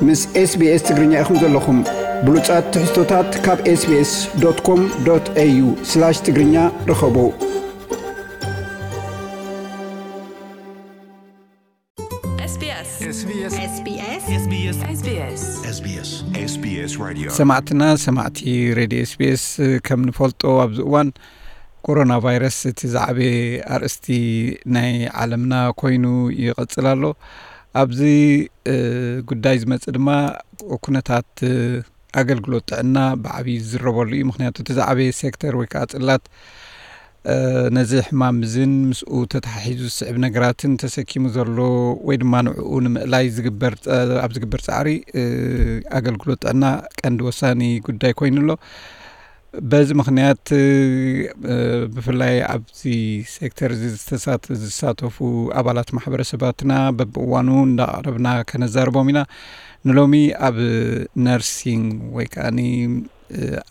ምስ SBS ትግርኛ ኢኹም ዘለኹም። ብሉጻት ትሕዝቶታት ካብ SBS.com.au/ትግርኛ ርኸቡ። SBS SBS SBS SBS SBS Radio ሰማዕትና ሰማዕቲ ሬድዮ SBS፣ ከም ንፈልጦ ኣብዚ እዋን ኮሮና ቫይረስ እቲ ዝዓበየ ኣርእስቲ ናይ ዓለምና ኮይኑ ይቐጽል ኣሎ። ኣብዚ ጉዳይ ዝመጽእ ድማ ኩነታት ኣገልግሎት ጥዕና ብዓብዪ ዝዝረበሉ እዩ። ምክንያቱ እቲ ዝዓበየ ሴክተር ወይ ከዓ ጽላት ነዚ ሕማም እዝን ምስኡ ተተሓሒዙ ዝስዕብ ነገራትን ተሰኪሙ ዘሎ ወይ ድማ ንዕኡ ንምእላይ ኣብ ዝግበር ፃዕሪ ኣገልግሎት ጥዕና ቀንዲ ወሳኒ ጉዳይ ኮይኑ ኣሎ። በዚ ምክንያት ብፍላይ ኣብዚ ሴክተር እዚ ዝተሳተፉ ኣባላት ማሕበረሰባትና በብእዋኑ እንዳቐረብና ከነዛርቦም ኢና። ንሎሚ ኣብ ነርሲንግ ወይ ከዓ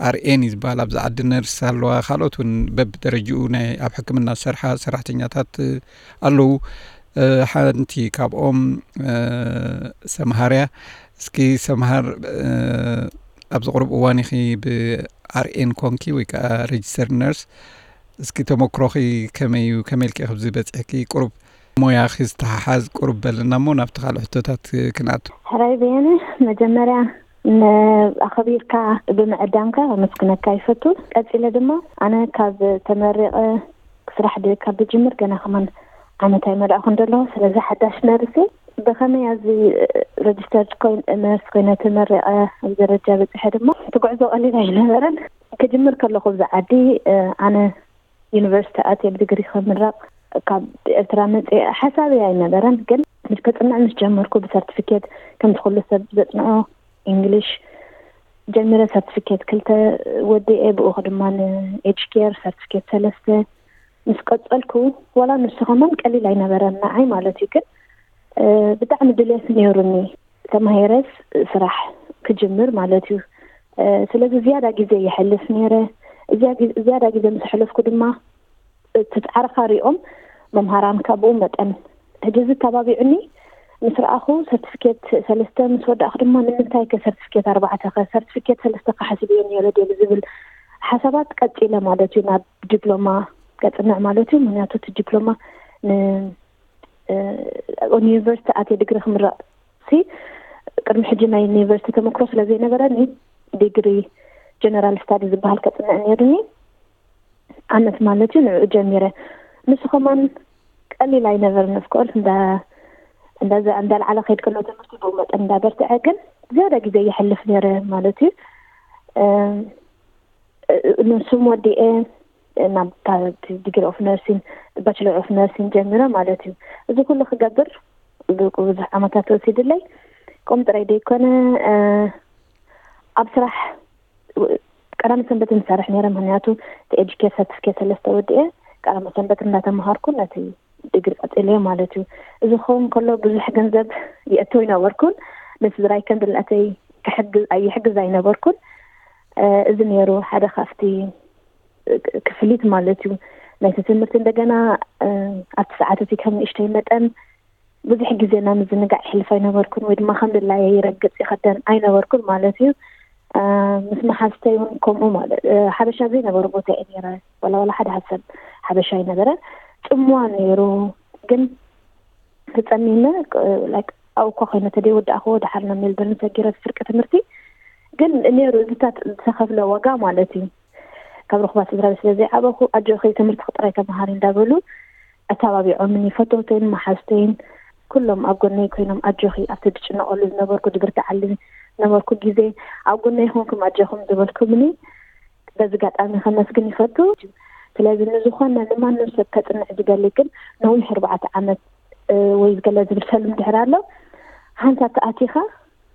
ኣርኤን እዩ ዝበሃል ኣብዚ ዓዲ ነርስ ኣለዋ። ካልኦት እውን በብደረጅኡ ናይ ኣብ ሕክምና ዝሰርሓ ሰራሕተኛታት ኣለዉ። ሓንቲ ካብኦም ሰምሃር እያ። እስኪ ሰምሃር፣ ኣብዚ ቁሩብ እዋን ኢኺ ብኣርኤን ኮንኪ ወይ ከዓ ሬጅስተር ነርስ። እስኪ ተመክሮኺ ከመይ እዩ? ከመይ ኢልኪ ኣብዚ በፂሕኪ? ቁሩብ ሞያኺ ዝተሓሓዝ ቁሩብ በልና እሞ ናብቲ ካልእ ሕቶታት ክንኣቱ። ሕራይ በየነ፣ መጀመርያ ኣኸቢርካ ብምዕዳምካ ከመስግነካ ይፈቱ። ቀፂለ ድማ ኣነ ካብ ተመሪቐ ስራሕ ካብ ዝጅምር ገና ከማን ዓመት ኣይመልኣኹን ዘለኹ። ስለዚ ሓዳሽ ነርሲ ብኸመይ ኣብዚ ረጅስተርድ ነርስ ኮይነ ተመሪቐ ኣብ ደረጃ በፅሐ ድማ እቲ ጉዕዞ ቀሊል ኣይነበረን። ክጅምር ከለኹ ኣብዚ ዓዲ ኣነ ዩኒቨርሲቲ ኣትየ ብዲግሪ ክምረቕ ካብ ኤርትራ መፅእ ሓሳብ ኣይነበረን። ግን ምስ ከፅንዕ ምስ ጀመርኩ ብሰርቲፊኬት ከምቲ ኩሉ ሰብ ዘፅንዖ እንግሊሽ ጀሚረ ሰርቲፊኬት ክልተ ወዲኤ ብኡኹ ድማ ንኤጅ ኬር ሰርቲፊኬት ሰለስተ ምስ ቀፀልኩ ዋላ ንሱ ከማን ቀሊል ኣይነበረን ንዓይ ማለት እዩ። ግን ብጣዕሚ ድልየት ነይሩኒ ተማሂረስ ስራሕ ክጅምር ማለት እዩ። ስለዚ ዝያዳ ግዜ የሕልፍ ነይረ። ዝያዳ ግዜ ምስ ኣሕለፍኩ ድማ እቲ ፃዕርኻ ሪኦም መምሃራንካ ብኡ መጠን ሕጂ እዚ ተባቢዑኒ ምስ ረኣኹ ሰርቲፊኬት ሰለስተ ምስ ወዳእኹ ድማ ንምንታይ ከ ሰርቲፊኬት ኣርባዕተ ከ ሰርቲፊኬት ሰለስተ ከ ሓሲብዮ ነይረ ድየ ብዝብል ሓሳባት ቀፂለ ማለት እዩ ናብ ዲፕሎማ ከፅንዕ ማለት እዩ። ምክንያቱ እቲ ዲፕሎማ ን ዩኒቨርሲቲ ኣትየ ዲግሪ ክምረቕ ሲ ቅድሚ ሕጂ ናይ ዩኒቨርሲቲ ተመክሮ ስለ ዘይነበረኒ ዲግሪ ጀነራል ስታዲ ዝበሃል ከፅንዕ ነይሩኒ ዓመት ማለት እዩ። ንዕኡ ጀሚረ ንሱ ከማን ቀሊል ኣይነበርን። ኦፍኮርስ እንዳልዓለ ከይድ ከሎ ትምህርቲ ብኡ መጠን እንዳበርትዐ ግን ዝያዳ ግዜ ይሕልፍ ነይረ ማለት እዩ። ንሱም ወዲኤ ናብ ዲግሪ ኦፍ ነርሲን ባችለር ኦፍ ነርሲን ጀሚረ ማለት እዩ። እዚ ኩሉ ክገብር ብዙሕ ዓመታት ወሲድለይ። ከምኡ ጥራይ ዘይኮነ ኣብ ስራሕ ቀዳመ ሰንበት ንሰርሕ ነይረ። ምክንያቱ ኤጅ ኬር ሰርቲፊኬት ሰለስተ ወዲኤ ቀዳመ ሰንበት እንዳተምሃርኩ ነቲ ዲግሪ ቀፂለዮ ማለት እዩ። እዚ ክኸውን ከሎ ብዙሕ ገንዘብ ይእቱ ኣይነበርኩን። ንስድራይ ከም ድላተይ ክሕግዝ ኣይሕግዝ ኣይነበርኩን። እዚ ነይሩ ሓደ ካብቲ ክፍሊት ማለት እዩ ናይቲ ትምህርቲ። እንደገና ኣብቲ ሰዓት እቲ ከም ንእሽተይ መጠን ብዙሕ ግዜ ናብ ምዝንጋዕ ይሕልፍ ኣይነበርኩን ወይ ድማ ከም ድላየ ይረግፅ ይኸደን ኣይነበርኩን ማለት እዩ። ምስ መሓዝተይ እውን ከምኡ ማለት ሓበሻ ዘይነበሩ ቦታ እየ ነይረ። ዋላ ዋላ ሓደ ሰብ ሓበሻ ኣይነበረ። ፅምዋ ነይሩ ግን ተፀሚመ ኣብኡ እኳ ኮይነ ተደይወዳእክዎ ድሓር ናብ ሜልበርን ሰጊረ ፍርቂ ትምህርቲ ግን ነይሩ እዚታት ዝተኸፍለ ዋጋ ማለት እዩ። ካብ ርኹባት ስድራ ቤት ስለ ዘይዓበኹ ኣጆኺ ትምህርቲ ጥራይ ተምሃሪ እንዳበሉ ኣተባቢዖምኒ ፈተውተይን መሓዝተይን ኩሎም ኣብ ጎነይ ኮይኖም ኣጆኺ ኣብቲ ድጭነቐሉ ዝነበርኩ ድብርትዓሉ ዝነበርኩ ግዜ ኣብ ጎነይ ኮንኩም ኣጆኹም ዝበልኩምኒ በዚ ጋጣሚ ከመስግን ይፈቱ። ስለዚ ንዝኾነ ንማንም ሰብ ከፅንዕ ዝደሊ ግን ነዊሕ ኣርባዕተ ዓመት ወይ ዝገለ ዝብል ሰሉም ድሕር ኣሎ ሓንሳብ ተኣቲኻ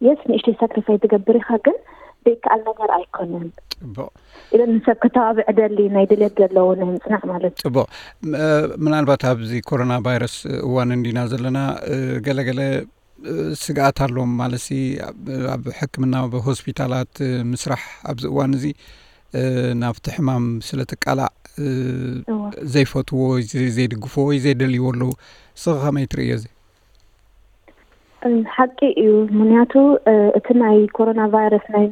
የስ ንእሽተይ ሳክሪፋይ ትገብር ኢኻ ግን ዘይከኣል ነገር ኣይኮነን። ፅቡቕ። ኢለ ንሰብ ከተባብዕ ደሊ ናይ ድሌት ዘለዎ ናይ ምፅናዕ ማለት እዩ። ፅቡቕ። ምናልባት ኣብዚ ኮሮና ቫይረስ እዋን እንዲና ዘለና ገለገለ ስግኣት ኣለዎም ማለት ሲ ኣብ ሕክምና ኣብ ሆስፒታላት ምስራሕ ኣብዚ እዋን እዚ ናብቲ ሕማም ስለ ትቃላዕ ዘይፈትዎ ዘይድግፍዎ ወይ ዘይደልይዎ ኣለዉ። ስኸ ከመይ ትርእዮ እዚ? ሓቂ እዩ። ምክንያቱ እቲ ናይ ኮሮና ቫይረስ ናይ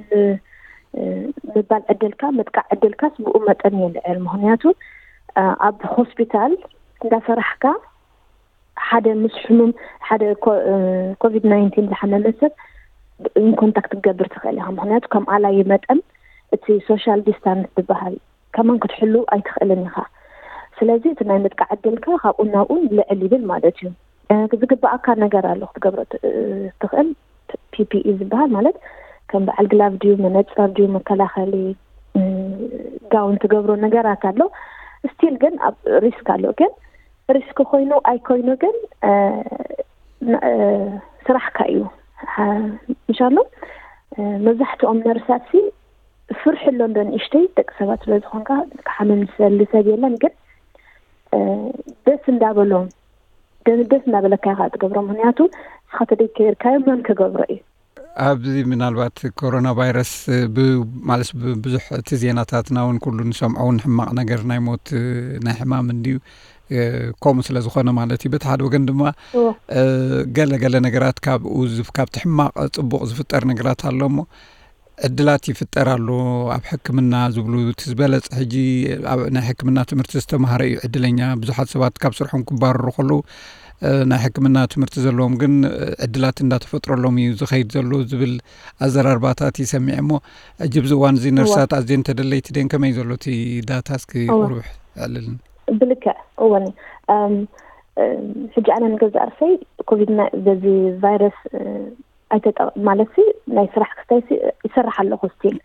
ምባል ዕድልካ፣ ምጥቃዕ ዕድልካስ ብኡ መጠን ይልዕል። ምክንያቱ ኣብ ሆስፒታል እንዳሰራሕካ ሓደ ምስ ሕሙም፣ ሓደ ኮቪድ ናይንቲን ዝሓመመ ሰብ ኢንኮንታክት ክትገብር ትኽእል ኢኻ። ምክንያቱ ከም ኣላዪ መጠን እቲ ሶሻል ዲስታንስ ዝበሃል ከማን ክትሕሉ ኣይትኽእልን ኢኻ። ስለዚ እቲ ናይ ምጥቃዕ ዕድልካ ካብኡ ናብኡ ልዕል ይብል ማለት እዩ። ዝግባኣካ ነገር ኣሎ ክትገብሮ ትኽእል። ፒ ፒ ኢ ዝበሃል ማለት ከም በዓል ግላቭ ድዩ፣ መነፀር ድዩ፣ መከላኸሊ ጋውን ትገብሮ ነገራት ኣሎ። ስቲል ግን ኣብ ሪስክ ኣሎ። ግን ሪስክ ኮይኑ ኣይኮይኑ ግን ስራሕካ እዩ። ምሻሎ መብዛሕትኦም ነርሳት ሲ ፍርሒ ኣሎ እንዶ ንእሽተይ፣ ደቂ ሰባት ስለ ዝኾንካ ክሓምም ዝሰሊ ሰብ የለን። ግን ደስ እንዳበሎም ደስ እንዳበለካ ኢኻ ትገብሮ። ምክንያቱ ንስኻ ተደይከይርካዮ መን ክገብሮ እዩ? ኣብዚ ምናልባት ኮሮና ቫይረስ ማለት ብዙሕ እቲ ዜናታትና እውን ኩሉ ንሰምዖ እውን ሕማቕ ነገር ናይ ሞት ናይ ሕማም እንድዩ። ከምኡ ስለ ዝኾነ ማለት እዩ። በቲ ሓደ ወገን ድማ ገለ ገለ ነገራት ካብኡ ካብቲ ሕማቕ ፅቡቕ ዝፍጠር ነገራት ኣሎ እሞ ዕድላት ይፍጠር ኣሎ ኣብ ሕክምና ዝብሉ እቲ ዝበለፀ ሕጂ ናይ ሕክምና ትምህርቲ ዝተማሃረ እዩ ዕድለኛ። ብዙሓት ሰባት ካብ ስርሖም ክባረሩ ከለዉ ናይ ሕክምና ትምህርቲ ዘለዎም ግን ዕድላት እንዳተፈጥረሎም እዩ ዝኸይድ ዘሎ ዝብል ኣዘራርባታት ይሰሚዐ እሞ ሕጂ ብዚ እዋን እዚ ነርሳት ኣዝየን ተደለይቲ ደን ከመይ ዘሎ እቲ ዳታ እስኪ ቁሩብ ኣዕልልን። ብልክዕ እወን ሕጂ ኣነ ንገዛእ ርእሰይ ኮቪድ በዚ ቫይረስ ኣይተጠ ማለት ሲ ናይ ስራሕ ክስታይ ሲ ይሰርሕ ኣለኹ ስቲል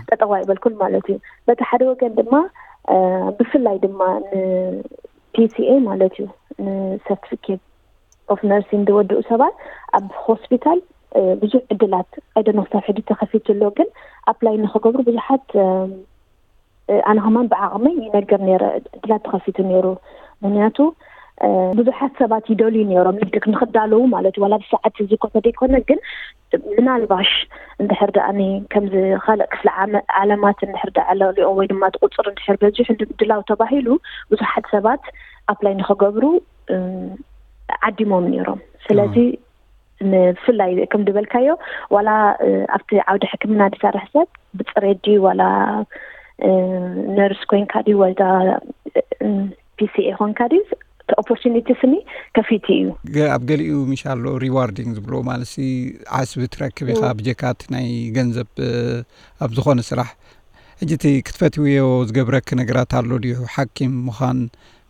ጠጠዋ ይበልኩን ማለት እዩ። በቲ ሓደ ወገን ድማ ብፍላይ ድማ ን ፒ ሲ ኤ ማለት እዩ ንሰርቲፊኬት ኦፍ ነርሲንግ ዝወድኡ ሰባት ኣብ ሆስፒታል ብዙሕ ዕድላት ኣይደኖ ክሳብ ሕጂ ተኸፊቱ ኣሎ። ግን ኣፕላይ ንክገብሩ ብዙሓት ኣነ ከማን ብዓቕመይ ይነግር ነረ ዕድላት ተኸፊቱ ነይሩ። ምክንያቱ ብዙሓት ሰባት ይደልዩ ነይሮም ልክዕ ንክዳለዉ ማለት ዋላ ብሰዓት እዚ ኮ ተደይኮነ ግን ምናልባሽ እንድሕር ደኣ ከምዚ ካልእ ክፍለ ዓለማት እንድሕር ደኣ ለሊኦ ወይ ድማ ቁፅር እንድሕር በዚሑ ድላው ተባሂሉ ብዙሓት ሰባት ኣፕላይ ንክገብሩ ዓዲሞም ነይሮም። ስለዚ ብፍላይ ከም ዝበልካዮ ዋላ ኣብቲ ዓውዲ ሕክምና ዝሰርሕ ሰብ ብፅሬት ድዩ ዋላ ነርስ ኮይንካ ድዩ ወላ ፒ ሲ ኤ ኮንካ ድዩ እቲ ኦፖርቹኒቲ ስኒ ከፊቱ እዩ። ኣብ ገሊኡ ምሽ ኣሎ ሪዋርዲንግ ዝብሎ ማለት ዓስቢ ትረክብ ኢኻ ብጀካት ናይ ገንዘብ ኣብ ዝኾነ ስራሕ። ሕጂ እቲ ክትፈትውዮ ዝገብረኪ ነገራት ኣሎ ድዩ? ሓኪም ምዃን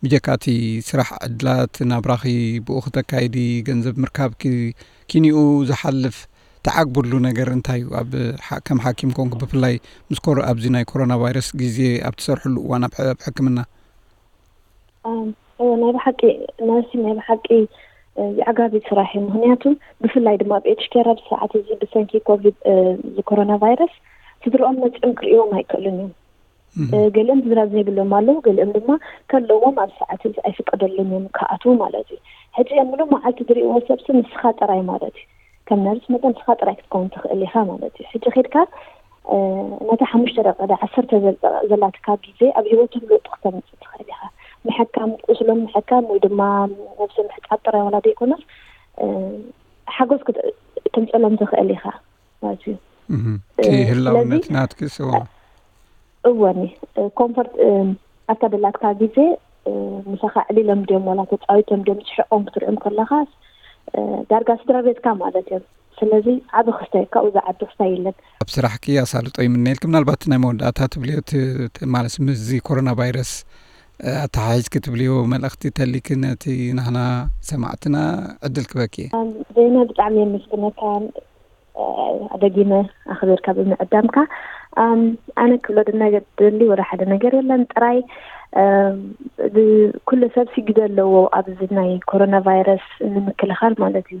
ብጀካ እቲ ስራሕ ዕድላት ናብራኺ ብኡ ክተካይዲ ገንዘብ ምርካብኪ ኪኒኡ ዝሓልፍ ተዓግብሉ ነገር እንታይ እዩ? ኣብ ከም ሓኪም ኮንኩ ብፍላይ ምስ ኮሮ ኣብዚ ናይ ኮሮና ቫይረስ ግዜ ኣብ ትሰርሕሉ እዋን ኣብ ሕክምና ናይ ብሓቂ ነርሲ ናይ ብሓቂ የዕጋቢ ስራሕ እዩ። ምክንያቱ ብፍላይ ድማ ኣብ ኤጅ ኬር ኣብ ሰዓት እዚ ብሰንኪ ኮቪድ እዚ ኮሮና ቫይረስ ስድርኦም መፅኦም ክርእዎም ኣይክእሉን እዮም። ገሊኦም ዝራብ ዘይብሎም ኣለዉ፣ ገሊኦም ድማ ከለዎም ኣብ ሰዓት እዚ ኣይፍቀደሎም እዮም ክኣትዉ ማለት እዩ። ሕጂ ኣብ ምሉእ መዓልቲ ዝርእይዎ ሰብሲ ንስኻ ጥራይ ማለት እዩ። ከም ነርስ መጠን ንስኻ ጥራይ ክትከውን ትኽእል ኢኻ ማለት እዩ። ሕጂ ኬድካ ነታ ሓሙሽተ ደቂቃ ዳ ዓሰርተ ዘላትካ ግዜ ኣብ ህይወቶም ለውጢ ክተምፅእ ትኽእል ኢኻ። ምሕካም ቁስሎም ምሕካም ወይ ድማ ነብሲ ምሕፃብ ጥራይ ዋላ ዘይኮነስ ሓጎስ ተምፀሎም ትኽእል ኢኻ ማለት እዩ። ህላውነት ናትኪ ስዋ እወኒ ኮንፈርት ኣብታ ደላትካ ግዜ ምሳኻ ዕሊሎም ድዮም ዋላ ተፃዊቶም ድዮም ስሕቆም ክትሪኦም ከለኻ ዳርጋ ስድራ ቤትካ ማለት እዮም። ስለዚ ዓቢ ክስታይ ካብኡ ዝዓቢ ክስታይ የለን። ኣብ ስራሕኪ ኣሳልጦ ይምነየልኪ። ምናልባት ናይ መወዳእታ ትብልዮ ማለት ምስዚ ኮሮና ቫይረስ ኣተሓሒዝኪ ትብልዮ መልእኽቲ ተሊኪ ነቲ ናህና ሰማዕትና ዕድል ክበኪ። ዜና ብጣዕሚ የመስግነካ። ኣደጊመ ኣኽቢርካ ብምዕዳምካ ኣነ ክብሎ ድደሊ ወደ ሓደ ነገር የለን ጥራይ ኩሉ ሰብ ሲግደ ኣለዎ ኣብዚ ናይ ኮሮና ቫይረስ ንምክልኻል ማለት እዩ።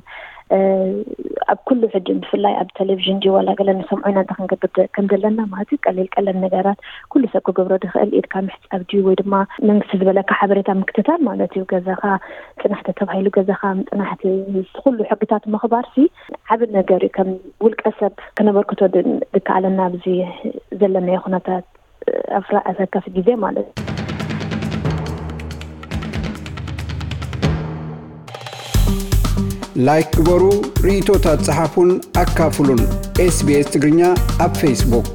ኣብ ኩሉ ሕጂ ብፍላይ ኣብ ቴሌቪዥን ድዩ ዋላ ገለ ንሰምዖ ኢና እንታይ ክንገብር ከም ዘለና ማለት እዩ። ቀሊል ቀለል ነገራት ኩሉ ሰብ ክገብሮ ዝኽእል ኢድካ ምሕፃብ ድዩ ወይ ድማ መንግስቲ ዝበለካ ሓበሬታ ምክትታል ማለት እዩ። ገዛኻ ፅናሕቲ ተባሂሉ ገዛኻ ምፅናሕቲ ኩሉ ሕግታት ምኽባር ሲ ዓቢ ነገር እዩ። ከም ውልቀ ሰብ ክነበርክቶ ዝከኣለና ኣብዚ ዘለናዮ ኩነታት ኣፍራ ኣሰካፊ ግዜ ማለት እዩ። ላይክ ግበሩ፣ ርእይቶታት ጸሓፉን ኣካፍሉን። ኤስቢኤስ ትግርኛ ኣብ ፌስቡክ።